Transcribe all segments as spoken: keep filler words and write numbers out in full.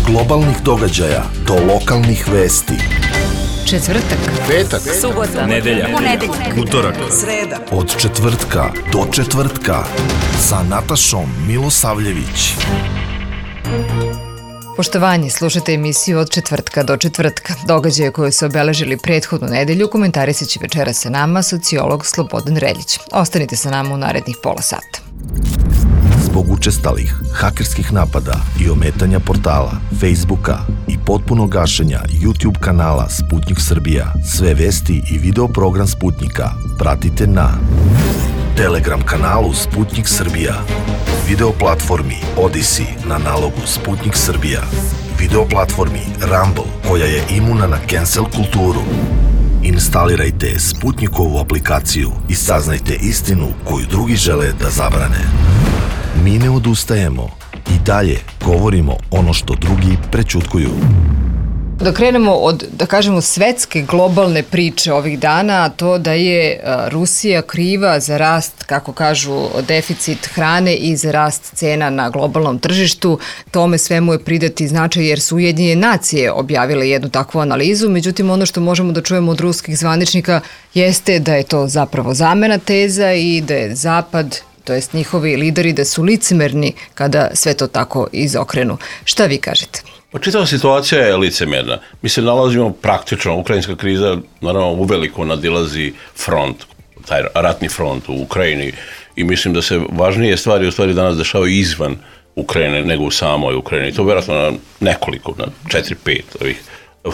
globalnih događaja do lokalnih vesti. Četvrtak, petak, subota, nedelja, ponedeljak, utorak, sreda. Od četvrtka do četvrtka sa Natašom Milosavljević. Poštovanje, slušate emisiju Od četvrtka do četvrtka. Događaje koje su obeležili prethodnu nedelju komentarisat će večera sa nama sociolog Slobodan Reljić. Ostanite sa nama u narednih pola sata. Zbog učestalih hakerskih napada i ometanja portala, Facebooka i potpunog gašenja YouTube kanala Sputnik Srbija, sve vesti i video program Sputnika pratite na Telegram kanalu Sputnik Srbija, video platformi Odyssey na nalogu Sputnik Srbija, video platformi Rumble koja je imuna na cancel kulturu. Instalirajte Sputnikovu aplikaciju i saznajte istinu koju drugi žele da zabrane. Mi ne odustajemo i dalje govorimo ono što drugi prećutkuju. Da krenemo od, da kažemo, svetske globalne priče ovih dana, a to da je Rusija kriva za rast, kako kažu, deficit hrane i za rast cena na globalnom tržištu. Tome svemu je pridati značaj jer su Ujedinjene nacije objavile jednu takvu analizu, međutim ono što možemo da čujemo od ruskih zvaničnika jeste da je to zapravo zamena teza i da je Zapad, to jest njihovi lideri, da su licemerni kada sve to tako izokrenu. Šta vi kažete? Pa čitava situacija je licemerna. Mi se nalazimo praktično, ukrajinska kriza naravno uveliko nadilazi front, taj ratni front u Ukrajini i mislim da se važnije stvari u stvari danas dešavaju izvan Ukrajine nego u samoj Ukrajini. To vjerojatno na nekoliko, na četiri, pet ovih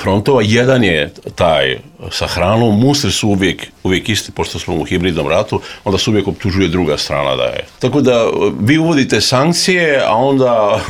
frontova. Jedan je taj sa hranom, mustri su uvijek, uvijek isti, pošto smo u hibridnom ratu, onda se uvijek optužuje druga strana da je. Tako da vi uvodite sankcije, a onda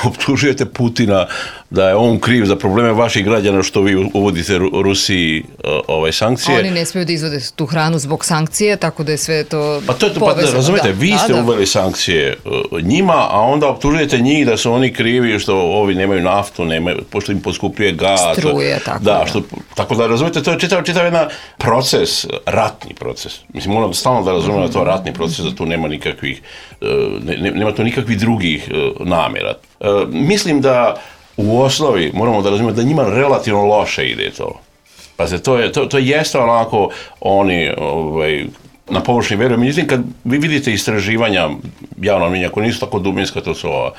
optužujete Putina da je on kriv za probleme vaših građana što vi uvodite Rusiji ovaj, sankcije. Oni ne smiju da izvode tu hranu zbog sankcije, tako da je sve to pa to je, povezano. Pa, razumete, vi da, ste da. uveli sankcije njima, a onda optužujete njih da su oni krivi što ovi nemaju naftu, nemaju, pošto im poskupljuje gaz. Struje, tako da. da. Što, tako da, razumete, to je čitav, čitav jedan proces, ratni proces. Mislim, moram stalno da razumem da to je ratni proces, da tu nema nikakvih, ne, nema tu nikakvih drugih namjera. Mislim da u osnovi moramo da razumemo da njima relativno loše ide to. Pa se to je, to, to jeste onako oni ovaj, na površini vjeruju. Međutim, kad vi vidite istraživanja javnog mnijenja koja nisu tako dubinska, to su ova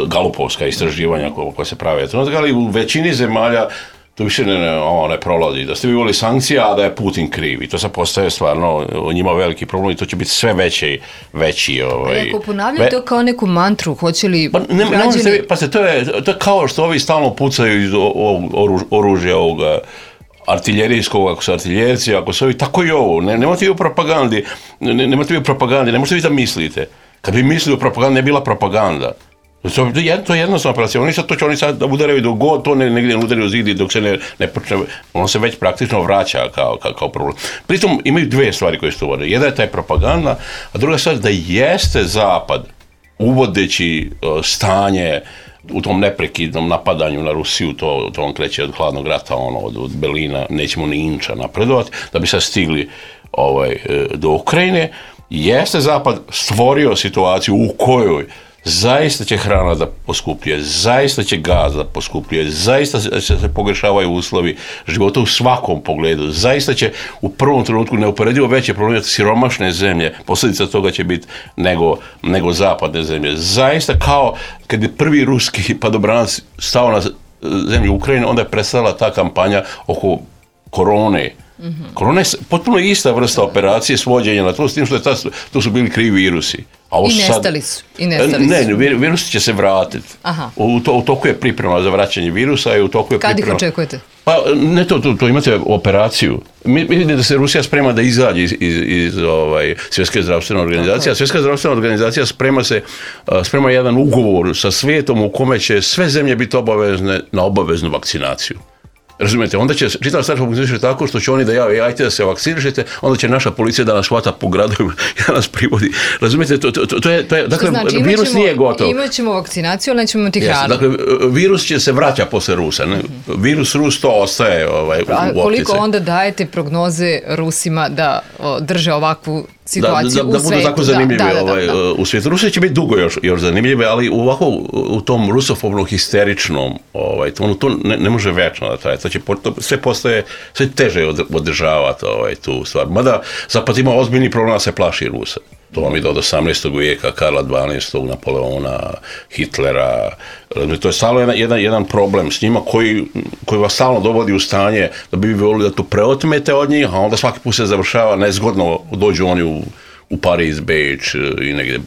galupovska istraživanja koja, koja se prave. Ali u većini zemalja to više ne, ne, ovo ne prolazi. Da ste vi uveli sankcija, a da je Putin kriv. I to sad postaje stvarno njima veliki problem i to će biti sve veće veći. Ovaj, ako ponavljaju ve... to kao neku mantru, hoće li pa, ne, građani... ne, pa se, to, je, to je kao što ovi stalno pucaju iz oruž, oružja ovoga artiljerijskog, ako su artiljerci, ako su ovi, tako i ovo. Ne, nemate vi u propagandi, ne, nemate vi u propagandi, ne možete vi da mislite. Kad bi mislili u propagandi, ne bila propaganda. To je, to je jednostavna operacija. Oni sad, to će oni sad da udaraju dok god, to ne, negdje ne udaraju zidi dok se ne, ne počne, on se već praktično vraća kao, kao, kao problem. Pritom imaju dve stvari koje su to vode. Jedna je taj propaganda, a druga stvar da jeste Zapad uvodeći uh, stanje u tom neprekidnom napadanju na Rusiju, to, to on kreće od hladnog rata, ono, od, od Berlina, nećemo ni inča napredovati, da bi sad stigli ovaj, do Ukrajine, jeste Zapad stvorio situaciju u kojoj zaista će hrana da poskupljuje, zaista će gaz da poskupljuje, zaista će se pogoršavaju uslovi života u svakom pogledu, zaista će u prvom trenutku neuporedivo veće probleme siromašne zemlje, posljedica toga će biti nego, nego zapadne zemlje. Zaista kao kad je prvi ruski padobranac stao na zemlju Ukrajine, onda je prestala ta kampanja oko korone. Mm-hmm. Korona je potpuno ista vrsta operacije svođenja na to, s tim što je ta, to su bili krivi virusi. A I nestali su. I nestali ne, su. ne, virusi će se vratiti. U, to, u toku je priprema za vraćanje virusa i u toku je Kad priprema... ih očekujete? Pa ne, to, to, to imate operaciju. Vidite da se Rusija sprema da izađe iz, iz, iz ovaj, Svjetske zdravstvene organizacije, a Svjetska zdravstvena organizacija sprema se, sprema jedan ugovor sa svijetom u kome će sve zemlje biti obavezne na obaveznu vakcinaciju. Razumijete, onda će čitava stvar funkcionirati tako što će oni da jave, ajte da se vakcinišete, onda će naša policija da nas hvata po gradovima i da nas privodi. Razumijete, to, to, to je, to je dakle, znači, virus ćemo, nije gotov. Imat ćemo vakcinaciju, ali nećemo imati hranu. Dakle, virus će se vraća posle Rusa. Ne? Mm-hmm. Virus Rus to ostaje ovaj, u optice. A koliko onda dajete prognoze Rusima da o, drže ovakvu situaciju da, da, u da svetu. budu tako zanimljivi da, da, da, ovaj, da. u svijetu. Rusija će biti dugo još, još zanimljive, ali ovako u tom rusofobnom histeričnom, ovaj, to, ono, to ne, ne može večno da traje. To će, to sve postaje, sve teže održavati ovaj, tu stvar. Mada Zapad ima ozbiljni problem da se plaši Rusa. To vam ide od osamnaestog vijeka, Karla dvanaestog, Napoleona, Hitlera. To je stalno jedan, jedan, jedan problem s njima koji, koji vas stalno dovodi u stanje da bi vi volili da to preotmete od njih, a onda svaki put se završava nezgodno, dođu oni u, u Pariz, Beč i negdje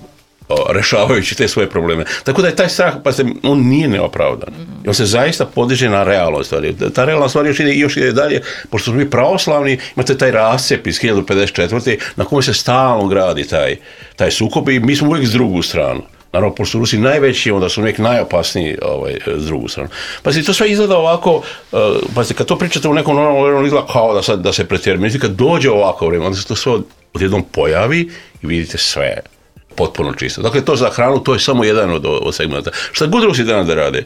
o, rešavajući te svoje probleme. Tako da je taj strah, pa se, on nije neopravdan. I on se zaista podiže na realnoj stvari. Ta realna stvar još ide, još ide dalje, pošto smo mi pravoslavni, imate taj rascep iz hiljadu pedeset četvrte na kojem se stalno gradi taj, taj sukob i mi smo uvijek s drugu stranu. Naravno, pošto su Rusi najveći, onda su uvijek najopasniji ovaj, s drugu stranu. Pa se to sve izgleda ovako, uh, pa se kad to pričate u nekom normalnom vremenu, izgleda kao da, sad, da se pretjeruje. Međutim, kad dođe ovako vreme, onda se to sve odjednom pojavi i vidite sve potpuno čisto. Dakle, to za hranu, to je samo jedan od, od segmenta. Šta god Rusi danas da rade,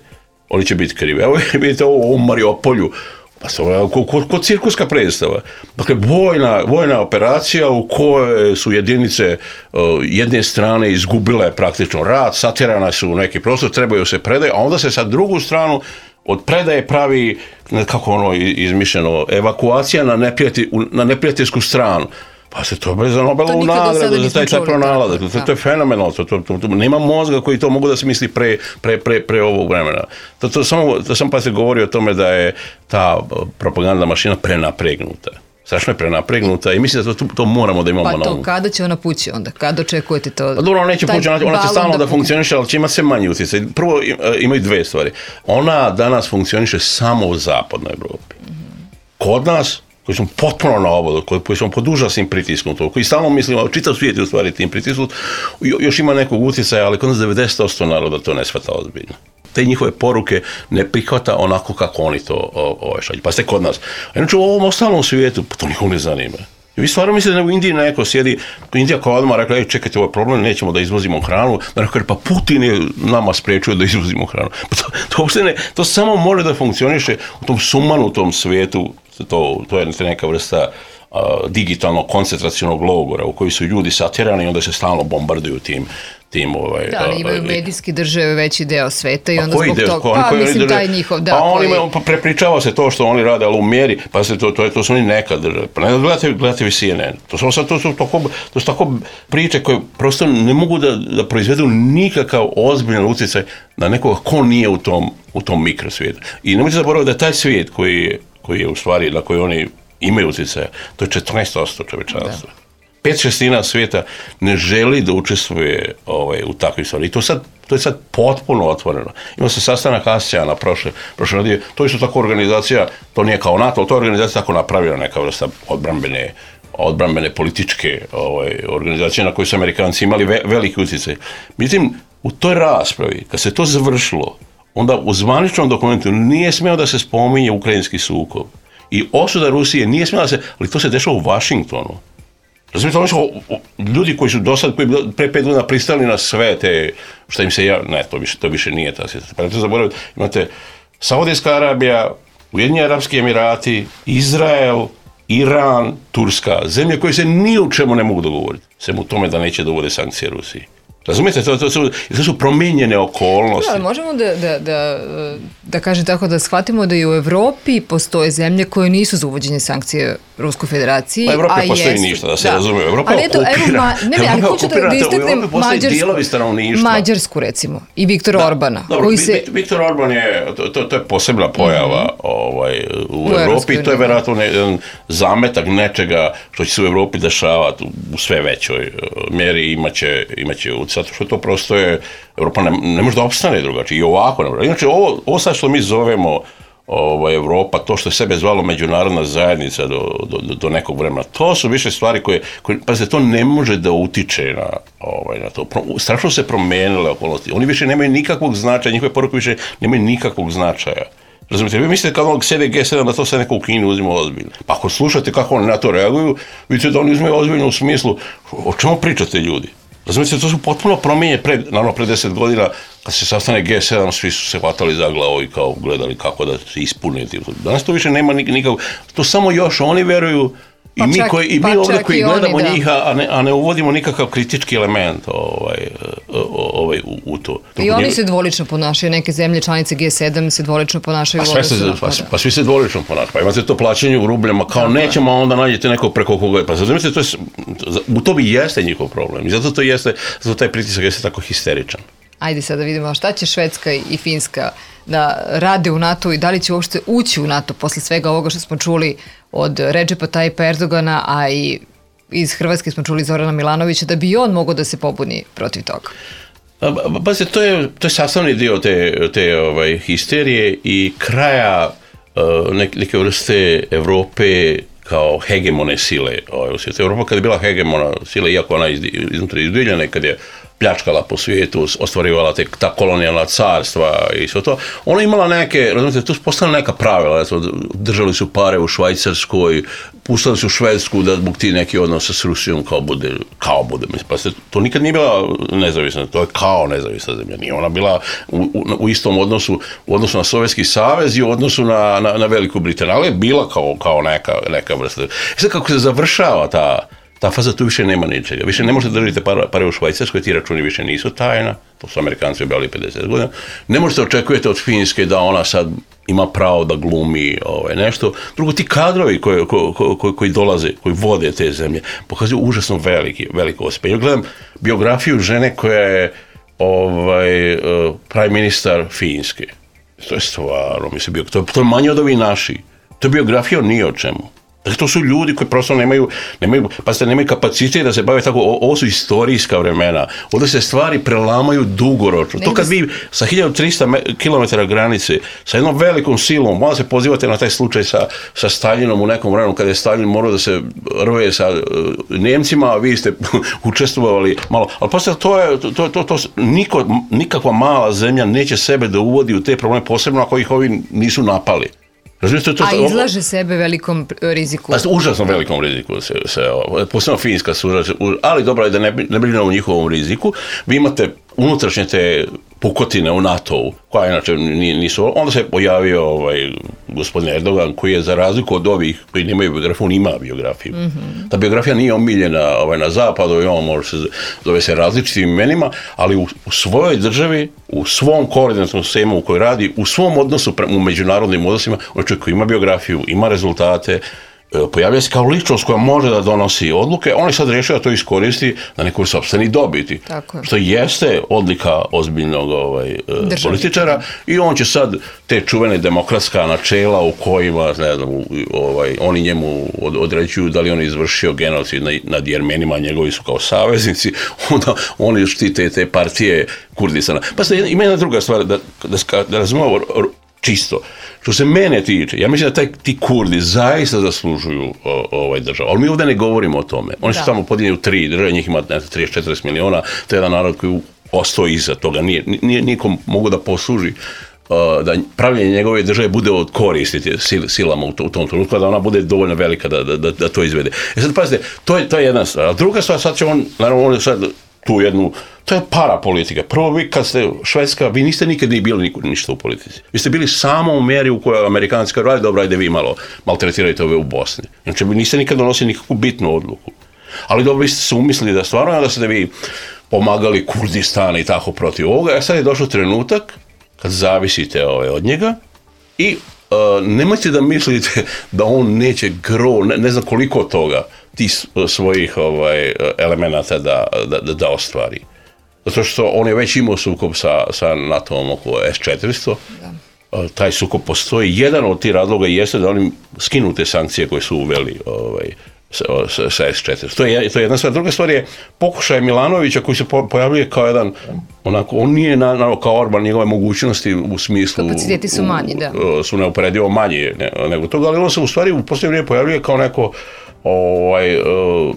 oni će biti krivi. Evo vidite ovo u Mariupolju, pa se ovo ko, ko, ko cirkuska predstava. Dakle, vojna, vojna operacija u kojoj su jedinice uh, jedne strane izgubile praktično rat, satjerane su u neki prostor, trebaju se predaju, a onda se sa drugu stranu od predaje pravi, kako ono izmišljeno, evakuacija na, neprijatelj, na neprijateljsku stranu. Pa se to je za Nobelovu nagradu, za taj, taj pronalazak. To, to je fenomenalno. To, to, to, to, nema mozga koji to mogu da se misli pre, pre, pre, pre ovog vremena. To, to samo, to sam pa se govori o tome da je ta propagandna mašina prenapregnuta. Strašno je prenapregnuta i mislim da to, to moramo da imamo na umu. Pa to kada će ona pući onda? Kada očekujete to? Pa dobro, ona neće pući, ona, ona će stalno da, da funkcioniše, ali će imati sve manji utjecaj. Prvo imaju dve stvari. Ona danas funkcioniše samo u zapadnoj Evropi. Kod nas, koji smo potpuno na obodu, koji, koji smo pod užasnim pritiskom, to, koji stalno mislimo, čitav svijet je u stvari tim pritiskom, još ima nekog utjecaja, ali kod nas devedeset posto naroda to ne shvata ozbiljno. Te njihove poruke ne prihvata onako kako oni to ovaj, šalju. Pa ste kod nas. A inače u ovom ostalom svijetu, pa to nikog ne zanima. I vi stvarno mislite da u Indiji neko sjedi, Indija kao odmah rekla, ej, čekajte, ovaj problem, nećemo da izvozimo hranu, da rekao, pa Putin je nama spriječio da izvozimo hranu. Pa to, to, uopšte ne, to samo može da funkcioniše u tom sumanutom svijetu, to, to je neka vrsta uh, digitalnog koncentracionog logora u koji su ljudi satjerani i onda se stalno bombarduju tim tim ovaj... Da, ali imaju medijski drže veći deo sveta i onda zbog toga, pa koji mislim drže, taj njihov, da. Pa oni koji... imaju, pa prepričava se to što oni rade, ali u mjeri, pa se to, to, to su oni nekad držali. Pa ne da gledate, gledate vi C N N. To su, to su, tako, to su tako priče koje prosto ne mogu da, da proizvedu nikakav ozbiljan utjecaj na nekoga ko nije u tom, u tom mikrosvijetu. I nemojte zaboraviti da taj svijet koji, koji je u stvari, na koji oni imaju utjecaja, to je četrnaest posto čovječanstva. Pet šestina svijeta ne želi da učestvuje ovaj, u takvih stvari. I to, sad, to je sad potpuno otvoreno. Ima se sastanak ASEANA prošle, prošle radije. To je isto tako organizacija, to nije kao NATO, to je organizacija tako napravila neka vrsta odbrambene, odbrambene političke ovaj, organizacije na koje su Amerikanci imali ve, veliki utjecaj. Međutim, u toj raspravi, kad se to završilo, onda u zvaničnom dokumentu nije smjelo da se spominje ukrajinski sukob. I osuda Rusije nije smjela da se, ali to se dešava u Vašingtonu. Razumijete, oni su ljudi koji su do sad, koji pre pet godina pristali na sve te, što im se ja, ne, to više, to više nije ta situacija. Pa ne to zaboraviti, imate Saudijska Arabija, Ujedinjeni Arapski Emirati, Izrael, Iran, Turska, zemlje koje se ni u čemu ne mogu dogovoriti, sem u tome da neće dovode sankcije Rusiji. Razumijete, to, to, su, to su promijenjene okolnosti. Da, možemo da, da, da, da kažem tako, da shvatimo da i u Evropi postoje zemlje koje nisu za uvođenje sankcije Ruskoj federaciji. Pa Evropa postoji jesu, ništa, da se da. razumije. Evropa ali eto, okupira. Evo, ma, ne, ne, ali hoću da, da istaknem Mađarsku, Mađarsku, recimo, i Viktora da, Orbana. Dobro, koji se... Viktor Orban je, to, to, to je posebna pojava mm-hmm. ovaj, u, u Evropi i to je vjerojatno ne, jedan zametak nečega što će se u Evropi dešavati u sve većoj mjeri, imaće, imaće zato što to prosto je, Evropa ne, ne može da opstane drugačije i ovako ne može. Inače, ovo, ovo sad što mi zovemo ovaj, Evropa, to što je sebe zvalo međunarodna zajednica do, do, do nekog vremena, to su više stvari koje, koje pazite, to ne može da utiče na, ovaj, na to. Strašno se promijenile okolnosti. Oni više nemaju nikakvog značaja, njihove poruke više nemaju nikakvog značaja. Razumijete, vi mislite kad onog sede G sedam da to sve neko u Kini uzima ozbiljno. Pa ako slušate kako oni na to reaguju, vidite da oni uzmeju ozbiljno u smislu o čemu pričate ljudi. Razumijete, to su potpuno promijenje, pred, naravno pre deset godina, kad se sastane G sedam, svi su se hvatali za glavu i kao gledali kako da se ispune. Danas to više nema nikakvog, to samo još oni veruju I mi, čak, koji, i mi pa ovdje koji gledamo oni, njih, a ne, a ne uvodimo nikakav kritički element ovaj, ovaj, u, u to. I Dok oni njeg... se dvolično ponašaju, neke zemlje članice Ge sedam se dvolično ponašaju. Pa, se, pa, pa svi se dvolično ponašaju. Pa imate to plaćanje u rubljama, kao tako nećemo, a onda nađete nekog preko koga. Pa zanimate, to je, u to bi jeste njihov problem. I zato to jeste, zato taj pritisak jeste tako histeričan. Ajde sad da vidimo šta će Švedska i Finska da rade u NATO i da li će uopšte ući u NATO posle svega ovoga što smo čuli od Redžepa Tajipa Erdogana, a i iz Hrvatske smo čuli Zorana Milanovića, da bi on mogao da se pobuni protiv toga. Pa se, to je, to je sastavni dio te, te ovaj, histerije i kraja uh, neke vrste Evrope kao hegemone sile. Ovaj, Evropa kad je bila hegemona sile, iako ona iz, iznutra izbiljena, kad je pljačkala po svijetu, ostvarivala te, ta kolonijalna carstva i sve to. Ona imala neke, razumijete, tu su postala neka pravila, držali su pare u Švajcarskoj, pustili su Švedsku da zbog ti neki odnosa s Rusijom kao bude, kao bude, pa se, to nikad nije bila nezavisna, to je kao nezavisna zemlja, nije ona bila u, u, u istom odnosu, u odnosu na Sovjetski savez i u odnosu na, na, na Veliku Britaniju, ali je bila kao, kao neka, neka vrsta. I sad kako se završava ta Ta faza, tu više nema ničega. Više ne možete držati pare, pare u Švajcarskoj, ti računi više nisu tajna, to su Amerikanci objavili pedeset godina. Ne možete očekujete od Finske da ona sad ima pravo da glumi ovaj, nešto. Drugo, ti kadrovi koji, koji, koji dolaze, koji vode te zemlje, pokazuju užasno veliki, veliko uspjeh. Ja gledam biografiju žene koja je ovaj, prime ministar Finske. To je stvarno, mislim, bio, to, to je manje od ovih naši. To je biografija nije o čemu. Dakle, to su ljudi koji prosto nemaju, nemaju, pa ste nemaju kapacitet da se bave tako, o, ovo su istorijska vremena, ovdje se stvari prelamaju dugoročno. To kad vi sa hiljadu trista kilometara granice, sa jednom velikom silom, onda se pozivate na taj slučaj sa, sa Staljinom u nekom vremenu, kada je Staljin morao da se rve sa uh, Njemcima, a vi ste učestvovali malo, ali posle to je, to, to, to, to niko, nikakva mala zemlja neće sebe da uvodi u te probleme, posebno ako ih ovi nisu napali. Razumijete, to, a izlaže sebe velikom riziku. Pa, užasno velikom riziku se, se posebno Finska sužače, ali dobro je da ne, ne brinemo o njihovom riziku. Vi imate unutrašnje te pukotine u NATO-u, koja inače nisu, onda se pojavio ovaj, gospodin Erdogan, koji je za razliku od ovih koji nemaju biografiju, on ima biografiju. Mm-hmm. Ta biografija nije omiljena ovaj, na zapadu i on može se, zove se različitim imenima, ali u, u svojoj državi, u svom koordinatornom sistemu u kojoj radi, u svom odnosu pre, u međunarodnim odnosima, on čovjek koji ima biografiju, ima rezultate, pojavlja se kao ličnost koja može da donosi odluke, on je sad rešio da to iskoristi na nekoj sopstveni dobiti. Tako. Što jeste odlika ozbiljnog ovaj, političara i on će sad te čuvene demokratska načela u kojima, ne znam, ovaj, oni njemu određuju da li on izvršio genocid nad Jermenima, njegovi su kao saveznici, onda oni štite te partije Kurdistana. Pa sad ima jedna druga stvar, da, da, da razumemo čisto. Što se mene tiče, ja mislim da taj, ti Kurdi zaista zaslužuju o, ovaj državu, ali mi ovdje ne govorimo o tome. Oni su da. tamo podijeljeni u tri države, njih ima trideset do četrdeset miliona, to je jedan narod koji ostoji iza toga, nije, nije nikom mogu da posluži uh, da pravljenje njegove države bude od koristi sil, silama u, to, u tom trenutku, da ona bude dovoljno velika da, da, da, da to izvede. E sad, pazite, to je, to je jedna stvar. A druga stvar, sad će on, naravno, on sad tu jednu, to je parapolitika. Prvo, vi kad ste Švedska, vi niste nikad ni bili ništa u politici. Vi ste bili samo u mjeri u kojoj Amerikanci kažu, ajde dobro, ajde vi malo maltretirajte ove u Bosni. Znači, vi niste nikad donosili nikakvu bitnu odluku. Ali dobro, vi ste se umislili da stvarno, da ste vi pomagali Kurdistana i tako protiv ovoga, a sad je došao trenutak kad zavisite ove, od njega i uh, nemojte da mislite da on neće gro, ne, ne znam koliko toga, ti svojih ovaj, elemenata da, da, da ostvari. Zato što on je već imao sukob sa, sa NATO-om oko S četiristo. Da. Taj sukob postoji. Jedan od tih razloga jeste da oni skinu te sankcije koje su uveli ovaj, sa, sa, sa S četiristo. To je, to je jedna stvar. Druga stvar je pokušaj Milanovića koji se pojavljuje kao jedan, onako, on nije na, na, kao Orban, njegove mogućnosti u smislu... Kapaciteti su manji, da. U, su neuporedivo manji ne, nego toga, ali on se u stvari u posljednje vrijeme pojavljuje kao neko ovaj, uh,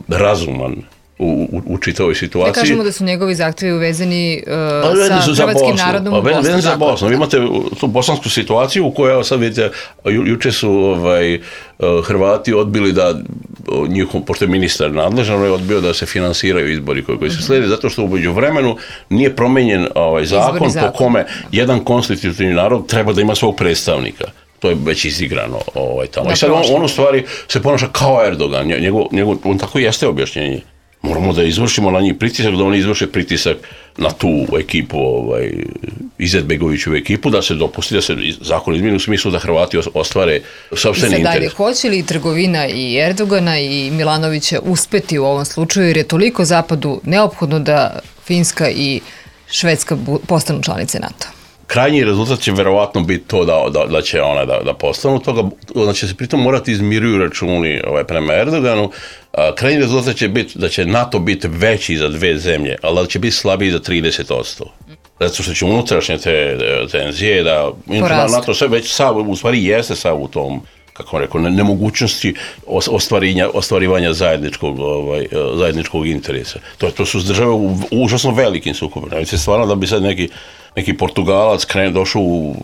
razuman u, u, u čitavoj situaciji. Da kažemo da su njegovi zahtjevi uvezeni uh, sa Hrvatskim narodom u Bosnu. Vezani za Bosnu. Vi imate tu bosansku situaciju u kojoj, sad vidite, ju, juče su ovaj, uh, Hrvati odbili da, njihov, pošto je ministar nadležan, je odbio da se finansiraju izbori koji, koji se slijede, zato što u međuvremenu nije promijenjen ovaj, zakon, zakon po kome jedan konstitutivni narod treba da ima svog predstavnika. to je već izigrano ovaj, tamo. I sad on, on u stvari se ponaša kao Erdogan, njegov, njegov, on tako jeste objašnjenje. Moramo da izvršimo na njih pritisak, da oni izvrše pritisak na tu ekipu, ovaj, Izetbegovićevu ekipu, da se dopusti, da se zakon izmijeni u smislu da Hrvati ostvare sopstveni interes. I sad dalje, hoće li trgovina i Erdogana i Milanovića uspeti u ovom slučaju, jer je toliko zapadu neophodno da Finska i Švedska postanu članice NATO? Krajnji rezultat će verovatno biti to da, da, da će ona da, da postanu toga, da će se pritom morati izmiruju računi ovaj, prema Erdoganu. A, krajnji rezultat će biti da će NATO biti veći za dve zemlje, ali da će biti slabiji za trideset posto. Zato što će unutrašnje te tenzije da NATO sve već sav, u stvari jeste sav u tom, kako rekao, nemogućnosti ostvarivanja zajedničkog, ovaj, zajedničkog interesa. To, to su države u užasno velikim sukobima. Znači, stvarno da bi sad neki neki Portugalac krene, došao u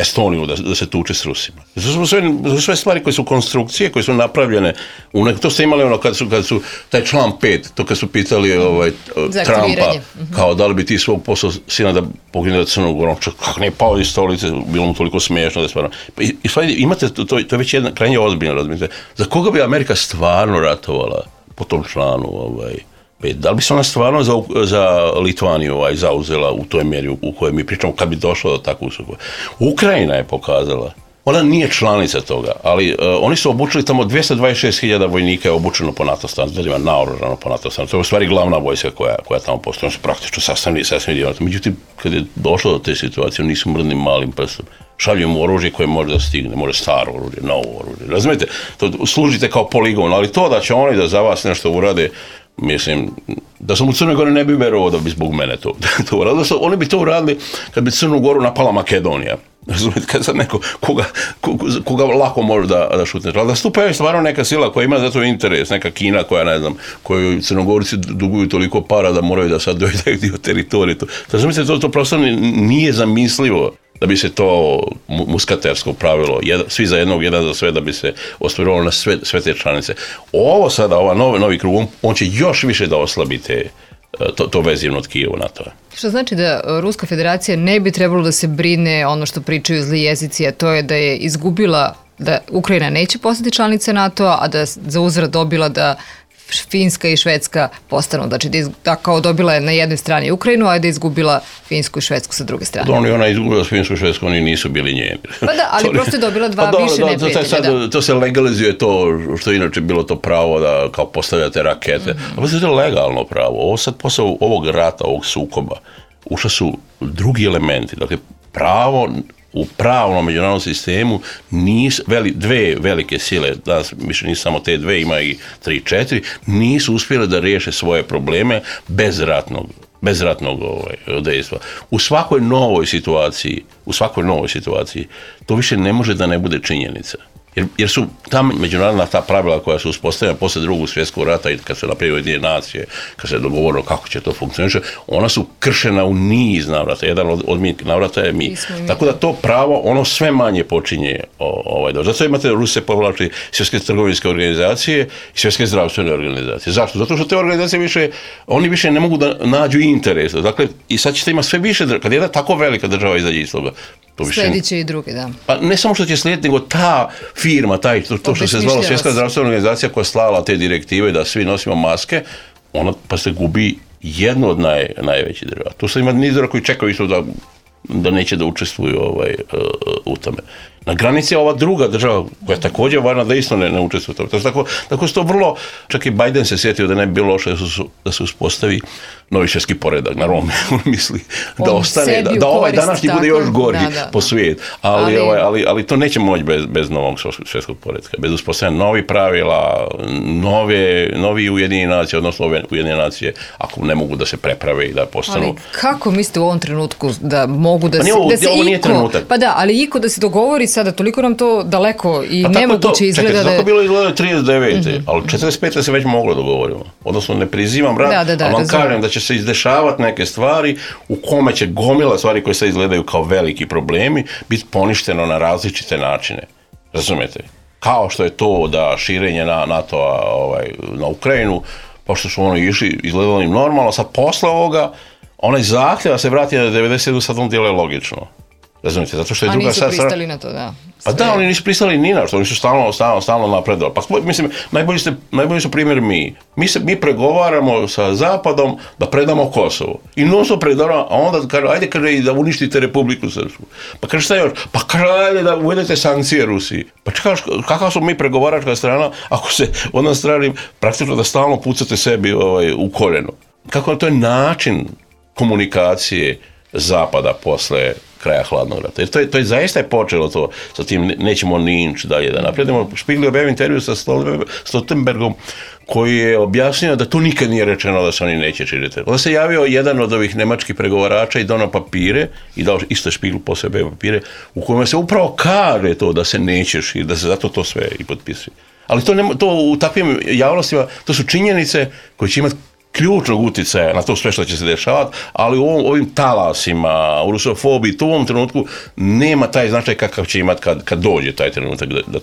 Estoniju da, da se tuče s Rusima. To su sve, sve stvari koje su konstrukcije, koje su napravljene. U nek, to ste imali ono kad su, kad su taj član pet, to kad su pitali ovaj, Trumpa, kao da li bi ti svog poslao sina da pogine da Crnog Gorom, kako ne pao iz stolice, bilo mu toliko smiješno da je stvarno. I, i stvari, imate, to, to je već jedna krajnje ozbiljno razmišljate. Za koga bi Amerika stvarno ratovala po tom članu, ovaj, da li bi se ona stvarno za, za Litvaniju ovaj, zauzela u toj mjeri u kojoj mi pričamo kad bi došlo do takvog sukoba? Ukrajina je pokazala. Ona nije članica toga, ali uh, oni su obučili tamo dvjesto dvadeset šest hiljada vojnika je obučeno po NATO standardima, naoružano po NATO standardima. To je u stvari glavna vojska koja, koja tamo postoji. Oni su praktično sastavni, sastavni dio. Međutim, kad je došlo do te situacije, oni nisu mrdnim malim prstom. Šalju mu oružje koje može da stigne, može staro oružje, novo oružje. Razumijete, to služite kao poligon, ali to da će oni da za vas nešto urade, mislim, da sam u Crnoj Gori ne bi verovao da bi zbog mene to, to uradili. Oni bi to uradili kad bi Crnu Goru napala Makedonija. Razumijete, kad sad neko koga, koga, koga lako može da, da šutne. Ali da stupa je stvarno neka sila koja ima za to interes, neka Kina koja, ne znam, koju Crnogorci duguju toliko para da moraju da sad dođe dio teritorije. Razumijete, to, to prosto nije zamislivo da bi se to muskatersko pravilo, jed, svi za jednog, jedan za sve, da bi se ostvarilo na sve, sve te članice. Ovo sada, ova novi, novi krug, on, on će još više da oslabi te, to, to vezivno tkivo NATO-a. Što znači da Ruska federacija ne bi trebalo da se brine ono što pričaju zli jezici, a to je da je izgubila, da Ukrajina neće postati članica NATO-a, a da za uzvrat dobila da Finska i Švedska postanu, znači da, iz, da kao dobila je na jednoj strani Ukrajinu, a da je izgubila Finsku i Švedsku sa druge strane. Da, oni ona izgubila Finsku i Švedsku, oni nisu bili njeni. Pa da, ali prosto je dobila dva pa više da, neprijatelja. Sad, da. To se legalizuje to što inače bilo to pravo da kao postavljate rakete. Mm-hmm. A to je legalno pravo. Ovo sad posle ovog rata, ovog sukoba, ušli su drugi elementi. Dakle, pravo u pravnom međunarodnom sistemu nis, veli, dve velike sile, danas više nisu samo te dve, ima i tri, četiri, nisu uspjeli da riješe svoje probleme bez ratnog, bez ratnog ovaj, dejstva. U svakoj novoj situaciji, u svakoj novoj situaciji, to više ne može da ne bude činjenica. Jer, jer su ta međunarodna ta pravila koja su uspostavljena posle drugog svjetskog rata i kad se napravio Ujedinjene nacije, kad se je dogovorilo kako će to funkcionirati, ona su kršena u niz navrata. Jedan od, od navrata je mi. Tako da to pravo, ono sve manje počinje ovaj doći. Zato imate Rusije povlači svjetske trgovinske organizacije i svjetske zdravstvene organizacije. Zašto? Zato što te organizacije više, oni više ne mogu da nađu interes. Dakle, i sad ćete imati sve više, kad jedna tako velika država izađe iz toga, slijedit će i druge, da. Pa ne samo što će slijediti, nego ta firma, taj, to, to što se zvalo Svjetska zdravstvena organizacija koja slala te direktive da svi nosimo maske, ona pa se gubi jedno od naj, najvećih država. Tu se ima niz država koji čekaju isto da, da neće da učestvuju ovaj, u tome. Na granici je ova druga država koja je također važna da isto ne, ne učestvuje u tome. Tako, tako se to vrlo, čak i Biden se sjetio da ne bi bilo loše da, su, da se uspostavi novi svjetski poredak na Rome, on misli da on ostane, da, da ovaj današnji bude još gori da, da. po svijetu, ali, ali, ovaj, ali, ali to neće moći bez, bez novog svjetskog poredka, bez uspostavljanja novih pravila, nove, novi Ujedinjene nacije, odnosno ove Ujedinjene nacije, ako ne mogu da se preprave i da postanu. Ali kako mislite u ovom trenutku da mogu da pa se... Ovo, da se ovo iko, nije trenutak. Pa da, ali iko da se dogovori sada, toliko nam to daleko i pa nemoguće izgleda čekaj, da... Čekaj, tako bilo izgleda trideset devete Mm-hmm. ali četrdeset pete se već moglo dogovorimo. Odnosno, ne prizivam rat, da, da, da, ali vam kažem da će se izdešavati neke stvari u kome će gomila stvari koje se izgledaju kao veliki problemi biti poništeno na različite načine. Razumijete? Kao što je to da širenje na NATO-a ovaj, na Ukrajinu, pošto su oni išli, izgledalo im normalno, sad posle ovoga, onaj zahtjev da se vrati na devedeset sedam sad on djeluje logično. Razumite, zato što je A druga nisu sad... pristali na to, da. Pa da, oni nisu pristali ni na što, oni su stalno, stalno, stalno napredovali. Pa mislim, najbolji, ste, najbolji su primjer mi. Mi, se, mi pregovaramo sa Zapadom da predamo Kosovo. I non stop predamo, a onda kaže, ajde kaže i da uništite Republiku Srpsku. Pa kaže šta još? Pa kaže, ajde da uvedete sankcije Rusiji. Pa čekaj, kakav smo mi pregovaračka strana ako se od nas strani praktično da stalno pucate sebi ovaj, u koljeno. Kako to je način komunikacije Zapada posle kraja hladnog rata. Jer to je, to je zaista je počelo to sa tim nećemo ninč dalje da napredimo. Špigli objavio intervju sa Stoltenbergom koji je objasnio da to nikad nije rečeno da se oni neće širiti. Onda se javio jedan od ovih nemačkih pregovarača i donao papire i dao isto Špiglu po sebe papire u kojima se upravo kaže to da se neće širiti, da se zato to sve i potpisuje. Ali to, nema, to u takvim javnostima, to su činjenice koje će imati ključnog utjecaja na to sve što će se dešavati, ali u ovom, ovim talasima, u rusofobiji, to u ovom trenutku nema taj značaj kakav će imati kad, kad dođe taj trenutak da, da,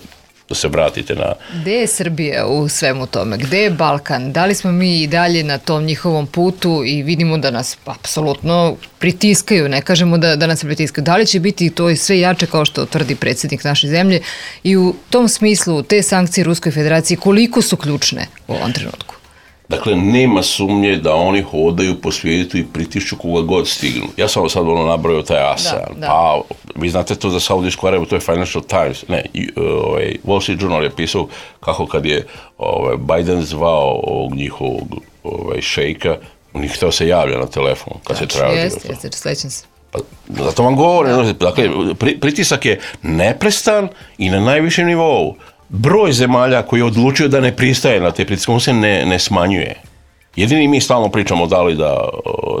da se vratite na... Gde je Srbija u svemu tome? Gde je Balkan? Da li smo mi i dalje na tom njihovom putu i vidimo da nas apsolutno pritiskaju, ne kažemo da, da nas pritiskaju. Da li će biti to i sve jače kao što tvrdi predsjednik naše zemlje i u tom smislu te sankcije Ruskoj federaciji koliko su ključne u ovom trenutku? Dakle, nema sumnje da oni hodaju po svijetu i pritišću koga god stignu. Ja sam vam sad ono nabrojao taj ASEAN. Da, da. Pa, vi znate to za Saudijsku Arabiju, to je Financial Times. Ne, ovaj, Wall Street Journal je pisao kako kad je ovaj, Biden zvao ovog njihovog ovaj, šejka, on je htio se javlja na telefon kad znači, se traži. Jeste, jeste, slećem se. Pa, zato vam govorim. Dakle, pritisak je neprestan i na najvišem nivou. Broj zemalja koji je odlučio da ne pristaje na te pritiske, on se ne, ne smanjuje. Jedini mi stalno pričamo da li da,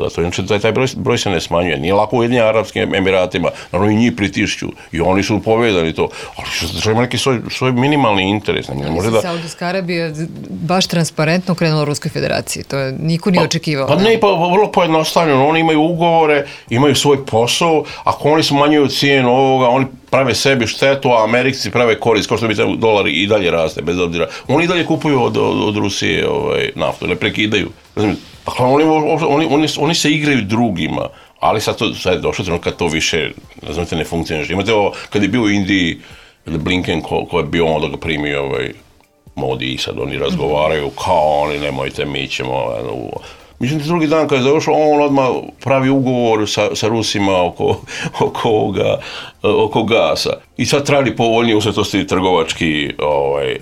da to inače taj, taj broj, broj se ne smanjuje. Nije lako u Ujedinjenim Arapskim Emiratima, naravno i njih pritišću i oni su povezani to, ali što ima neki svoj, svoj minimalni interes. Ne može da... Saudijska Arabija baš transparentno krenula u Ruskoj federaciji, to je niko nije očekivao. Pa, pa ne, pa vrlo pojednostavljeno, oni imaju ugovore, imaju svoj posao, ako oni smanjuju cijenu ovoga, oni prave sebi štetu, a Amerikci prave korist, kao što bi taj dolar i dalje raste, bez obzira. Oni i dalje kupuju od, od, od Rusije ovaj, naftu, ne prekidaju. Dakle, oni, oni, oni, oni se igraju drugima, ali sad, to, sad je došlo trenutak kad to više, znate, ne funkcionira. Imate ovo, kad je bio u Indiji, Blinken ko, ko je bio onda ga primio ovaj, Modi i sad oni razgovaraju kao oni, nemojte, mi ćemo... Ovo. Međutim, drugi dan kad je završao, on odmah pravi ugovor sa, sa Rusima oko, oko, ovoga, oko gasa. I sad traži povoljnije usvetosti trgovački, ovaj,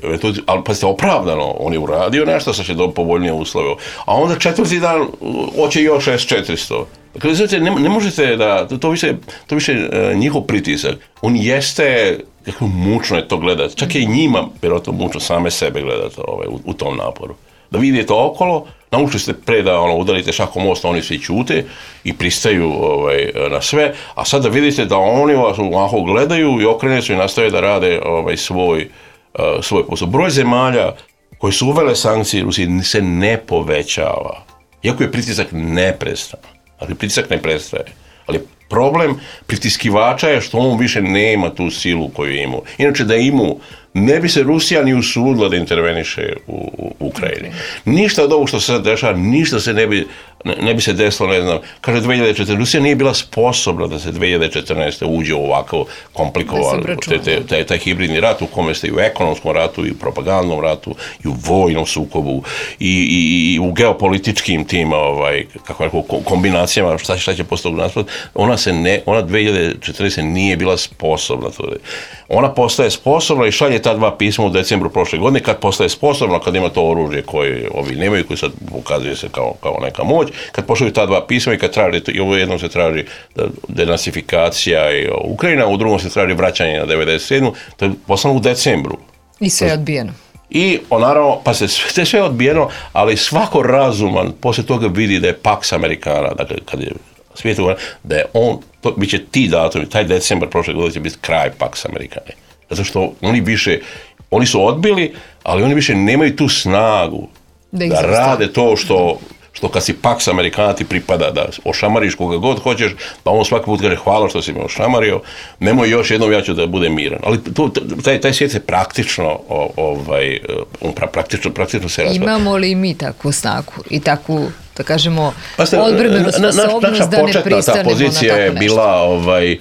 ali pazite, opravdano, on je uradio nešto, sad će dobiti povoljnije uslove. A onda četvrti dan hoće još S četiristo. Dakle, znate, ne, ne možete da, to više, to više uh, njihov pritisak, on jeste, kako mučno je to gledati, čak je i njima, vjerojatno mučno same sebe gledati ovaj, u, u tom naporu. Da vidite okolo, naučili ste pre da ono, udarite šakom most, oni svi ćute i pristaju ovaj, na sve, a sad da vidite da oni vas ovako gledaju i okrene su i nastave da rade ovaj, svoj, uh, svoj posao. Broj zemalja koji su uvele sankcije Rusiji se ne povećava, iako je pritisak neprestan, ali pritisak ne prestaje. Ali problem pritiskivača je što on više nema tu silu koju ima. Inače da imao, ne bi se Rusija ni usudila da interveniše u, u Ukrajini. Ništa od ovog što se sad dešava, ništa se ne bi, ne, ne bi se desilo, ne znam, kaže dve hiljade četrnaeste. Rusija nije bila sposobna da se dve hiljade četrnaeste uđe u ovako komplikovan taj, taj hibridni rat u kome ste i u ekonomskom ratu, i u propagandnom ratu, i u vojnom sukobu, i, i, i u geopolitičkim tim, ovaj, kako rekao, kombinacijama, šta, šta će postati naspred. Ona se ne, ona dve hiljade četrnaeste nije bila sposobna. Ona postaje sposobna i šalje ta dva pisma u decembru prošle godine, kad postaje sposobna, kad ima to oružje koje ovi nemaju, koji sad ukazuje se kao, kao neka moć, kad pošalju ta dva pisma i kad traži, i ovo jednom se traži denacifikacija i Ukrajina, u drugom se traži vraćanje na devedeset sedmu. To je poslano u decembru. I sve je odbijeno. I on, naravno, pa se sve, sve je odbijeno, ali svako razuman poslije toga vidi da je Pax Americana, dakle, kad je svijetu, da je on, to bit će ti datumi, taj decembar prošle godine će biti kraj Pax Americane. Zato što oni više, oni su odbili, ali oni više nemaju tu snagu da, da rade to što, što kad si Pax Americana ti pripada, da ošamariš koga god hoćeš, da on svaki put kaže hvala što si me ošamario, nemoj još jednom, ja ću da budem miran. Ali to, taj, taj svijet se praktično, ovaj, on pra, praktično, praktično se razpada. Imamo li mi takvu snagu i takvu, da kažemo, odbrambenu sposobnost da ne pristanemo na tako nešto? Naša početna ta pozicija je bila ovaj,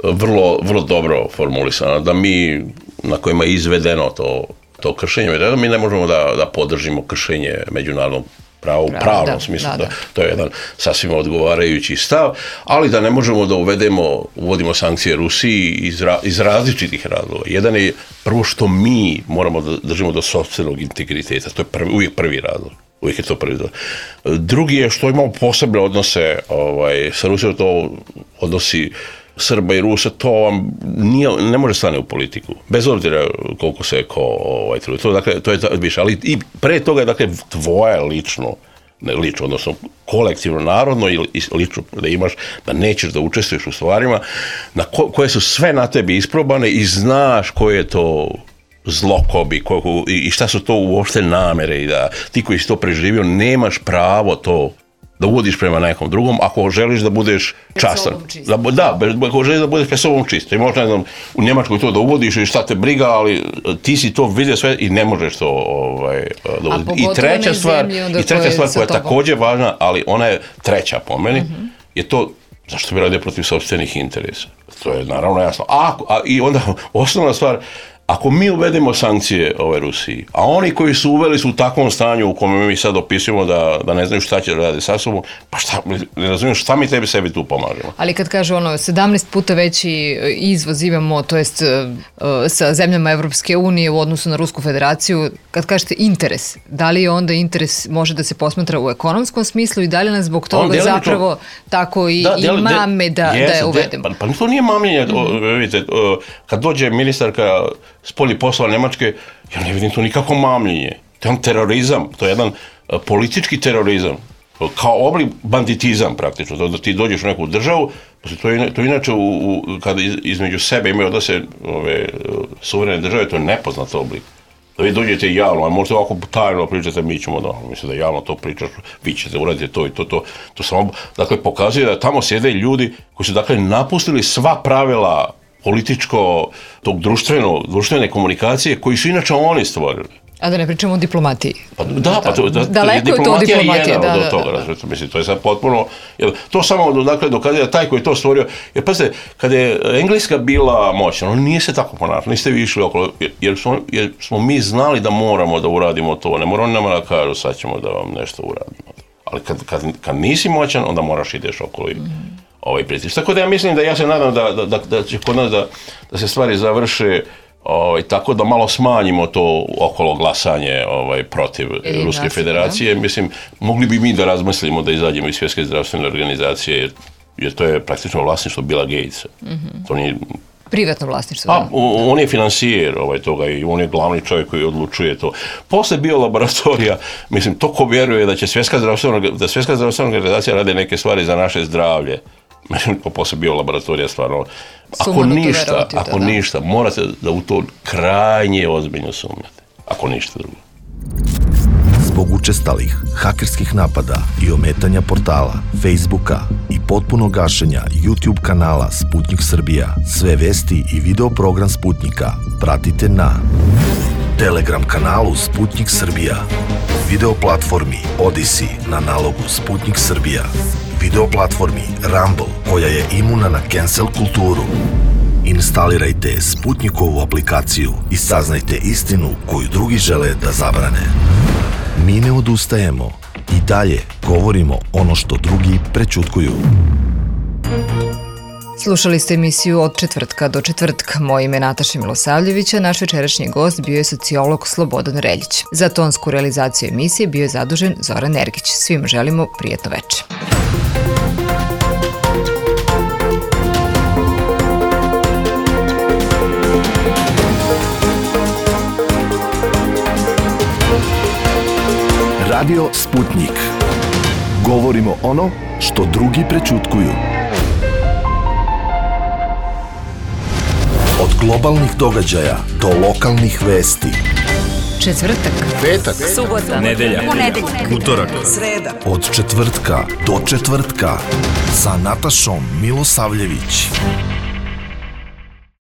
vrlo, vrlo dobro formulisana, da mi na kojima je izvedeno to, to kršenje, da mi ne možemo da, da podržimo kršenje međunarodnog prava u pravnom da, smislu, da, da. Da, to je jedan sasvim odgovarajući stav, ali da ne možemo da uvedemo, uvodimo sankcije Rusiji iz, ra, iz različitih razloga. Jedan je prvo što mi moramo da držimo do sopstvenog integriteta, to je prvi, uvijek prvi razlog. Uvijek je to prvi razlog. Drugi je što imamo posebne odnose ovaj, sa Rusijom, to odnosi Srba i Rusa, to vam nije, ne može stane u politiku, bez obzira koliko se ko ovaj, trudi. To, dakle, to je više, ali i pre toga je dakle, tvoje lično, ne lično, odnosno kolektivno, narodno i lično da imaš, da nećeš da učestvuješ u stvarima na ko, koje su sve na tebi isprobane i znaš koje je to zlokobi ko, i šta su to uopšte namere i da ti koji si to preživio nemaš pravo to da uvodiš prema nekom drugom, ako želiš da budeš častan. Da, da, ako želiš da budeš pred sobom čist. I možda, ne znam, u Njemačkoj to da uvodiš i šta te briga, ali ti si to vidio sve i ne možeš to ovaj, da uvodiš. I treća stvar, i treća stvar koja je također važna, ali ona je treća po meni, uh-huh. je to zašto bi radio protiv sopstvenih interesa. To je naravno jasno. A, a, i onda osnovna stvar, ako mi uvedemo sankcije ove Rusiji, a oni koji su uveli su u takvom stanju u kome mi sad opisujemo da, da ne znaju šta će raditi sa sobom, pa šta, ne razumijem šta mi tebi sebi tu pomažemo. Ali kad kaže ono, sedamnaest puta veći izvoz imamo, to jest sa zemljama Evropske unije u odnosu na Rusku federaciju, kad kažete interes, da li je onda interes može da se posmatra u ekonomskom smislu i da li nas zbog toga zapravo tako i, da, i mame da, yes, da je uvedemo? Pa, pa to nije mamljenje, mm-hmm. vidite, kad dođe ministarka spoljnih poslova Njemačke, ja ne vidim to nikako mamljenje. To je jedan terorizam, to je jedan politički terorizam, kao oblik banditizam praktično, da, da ti dođeš u neku državu, to je, to je inače u, u, kada između sebe imaju odnose ove suverene države, to je nepoznat oblik. Da vi dođete javno, a možete ovako tajno pričate, mi ćemo da, mislim da javno to pričaš, vi ćete uraditi to i to, to, to samo, dakle, pokazuje da tamo sjede ljudi koji su, dakle, napustili sva pravila političko, tog društveno, društvene komunikacije koji su inače oni stvorili. A da ne pričamo o diplomatiji. Pa, da, pa to, da, daleko je to od diplomatije. Da, da, do toga, da, da. Mislim, to je sad potpuno, jer to samo dakle, dokazuje da taj koji je to stvorio, jer pazite, kada je Engleska bila moćna, on nije se tako ponašao, niste vi išli okolo, jer, jer, smo, jer smo mi znali da moramo da uradimo to, ne moramo nama da kažu sad ćemo da vam nešto uradimo. Ali kad, kad, kad nisi moćan, onda moraš ideš okolo i mm. ovaj pritiš. Tako da ja mislim da ja se nadam da, da, da, da će kod nas da, da se stvari završe ovaj, tako da malo smanjimo to okolo glasanje ovaj, protiv Ili Ruske nas, federacije. Da? Mislim, mogli bi mi da razmislimo da izađemo iz Svjetske zdravstvene organizacije, jer, jer to je praktično vlasništvo Billa Gatesa. Mm-hmm. To nije... Privatno vlasništvo. A, on je financijer ovaj, toga i on je glavni čovjek koji odlučuje to. Posle bio laboratorija, mislim, to ko vjeruje da će Svjetska zdravstvena, da Svjetska zdravstvena organizacija rade neke stvari za naše zdravlje. Mislim, to posle bio laboratorija stvarno. Ako ništa, ako da. ništa, morate da u to krajnje ozbiljno sumnjate. Ako ništa drugo. Zbog učestalih hakerskih napada i ometanja portala, Facebooka i potpuno gašenja YouTube kanala Sputnik Srbija, sve vesti i video program Sputnika pratite na Telegram kanalu Sputnik Srbija, video platformi Odyssey na nalogu Sputnik Srbija, video platformi Rumble koja je imuna na cancel kulturu. Instalirajte Sputnikovu aplikaciju i saznajte istinu koju drugi žele da zabrane. Mi ne odustajemo i dalje govorimo ono što drugi prećutkuju. Slušali ste emisiju Od četvrtka do četvrtka. Moje ime je Nataša Milosavljević, a naš večerašnji gost bio je sociolog Slobodan Reljić. Za tonsku realizaciju emisije bio je zadužen Zoran Ergić. Svima želimo prijetno veče. Radio Sputnik. Govorimo ono što drugi prećutkuju. Od globalnih događaja do lokalnih vesti. Četvrtak, petak, subota, nedelja, ponedeljak, utorak, sreda. Od četvrtka do četvrtka sa Natašom Milosavljević.